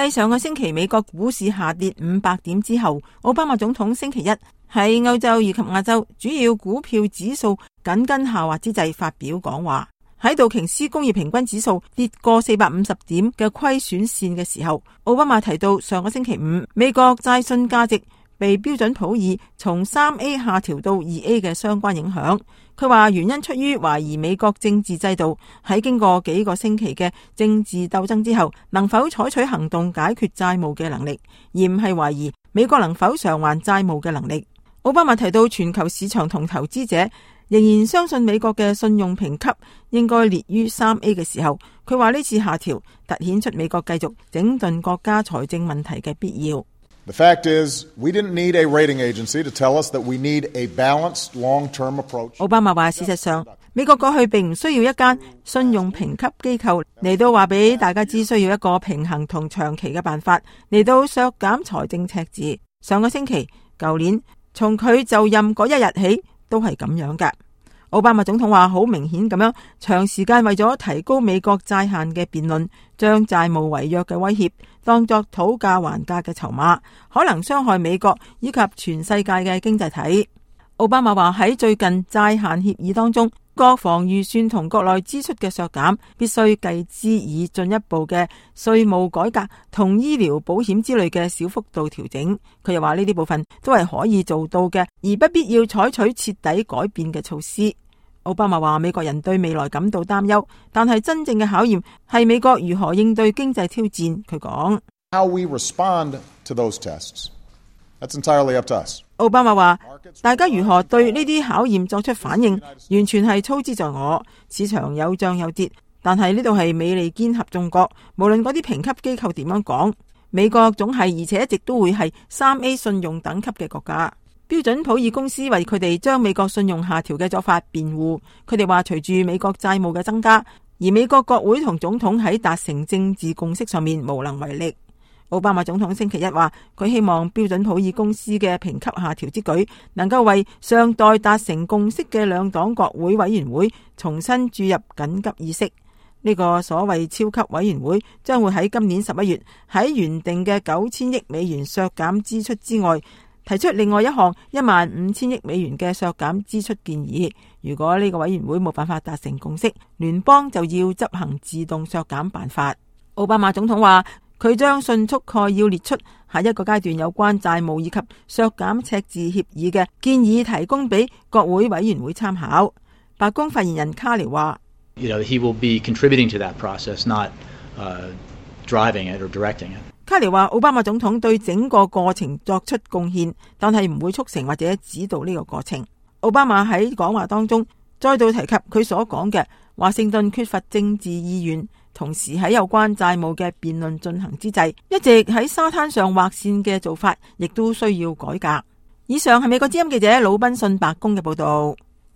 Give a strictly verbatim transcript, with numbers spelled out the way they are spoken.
繼上個星期美國股市下跌五百點之後，奧巴馬總統星期一喺歐洲以及亞洲主要股票指數緊跟下滑之際發表講話。喺道瓊斯工業平均指數跌過四百五十點嘅虧損線嘅時候，奧巴馬提到上個星期五美國債信價值被標準普爾從三 A 下調到二 A 嘅相關影響。佢話原因出於懷疑美國政治制度喺經過幾個星期嘅政治鬥爭之後，能否採取行動解決債務嘅能力，而唔係懷疑美國能否償還債務嘅能力。奧巴馬提到全球市場同投資者仍然相信美國嘅信用評級應該列於三 A 嘅時候，佢話呢次下調凸顯出美國繼續整頓國家財政問題嘅必要。The fact is, we didn't need a rating agency to tell us that we need a balanced long-term approach. 奧巴馬話，事實上，美國過去並唔需要一間信用評級機構嚟到話俾大家知，需要一個平衡同長期嘅辦法嚟到削減財政赤字。上個星期、舊年，從佢就任嗰一日起，都係咁樣㗎。奧巴馬總統話好明顯咁樣，長時間為咗提高美國債限嘅辯論，將債務違約嘅威脅當作討價還價嘅籌碼，可能傷害美國以及全世界嘅經濟體。奧巴馬話喺最近債限協議當中，國防預算同國內支出嘅削減必須繼之以進一步嘅稅務改革同醫療保險之類嘅小幅度調整。佢又話呢啲部分都係可以做到嘅，而不必要採取徹底改變嘅措施。奧巴馬話美國人對未來感到擔憂，但係真正嘅考驗係美國如何應對經濟挑戰。佢講 How we respond to those tests, that's entirely up to us. 奧巴馬話大家如何對呢啲考驗作出反應，完全係操之在我。市場有漲有跌，但係呢度係美利堅合眾國，無論嗰啲評級機構點樣講，美國總係而且一直都會係三 A 信用等級嘅國家。標準普爾公司為佢哋將美國信用下調嘅做法辯護，佢哋話隨住美國債務嘅增加，而美國國會同總統喺達成政治共識上面無能為力。奧巴馬總統星期一話，佢希望標準普爾公司嘅評級下調之舉能夠為尚待達成共識嘅兩黨國會委員會重新注入緊急意識。呢個所謂超級委員會將會喺今年十一月喺原定嘅九千億美元削減支出之外，提出另外一項一萬五千億美元嘅削減支出建議。如果呢個委員會冇辦法達成共識，聯邦就要執行自動削減辦法。奧巴馬總統話佢將迅速概要列出下一個階段有關債務以及削減赤字協議嘅建議，提供俾國會委員會參考。白宮發言人卡尼話 You know, he will be contributing to that process, not, uh, driving it or directing it. 卡尼話奧巴馬總統對整個過程作出貢獻，但係唔會促成或者指導呢個過程。奧巴馬喺講話當中再度提及佢所講嘅華盛頓缺乏政治意願，同時喺有關債務嘅辯論進行之際，一直喺沙灘上劃線嘅做法亦都需要改革。以上係美國之音記者魯賓遜白宮嘅報道。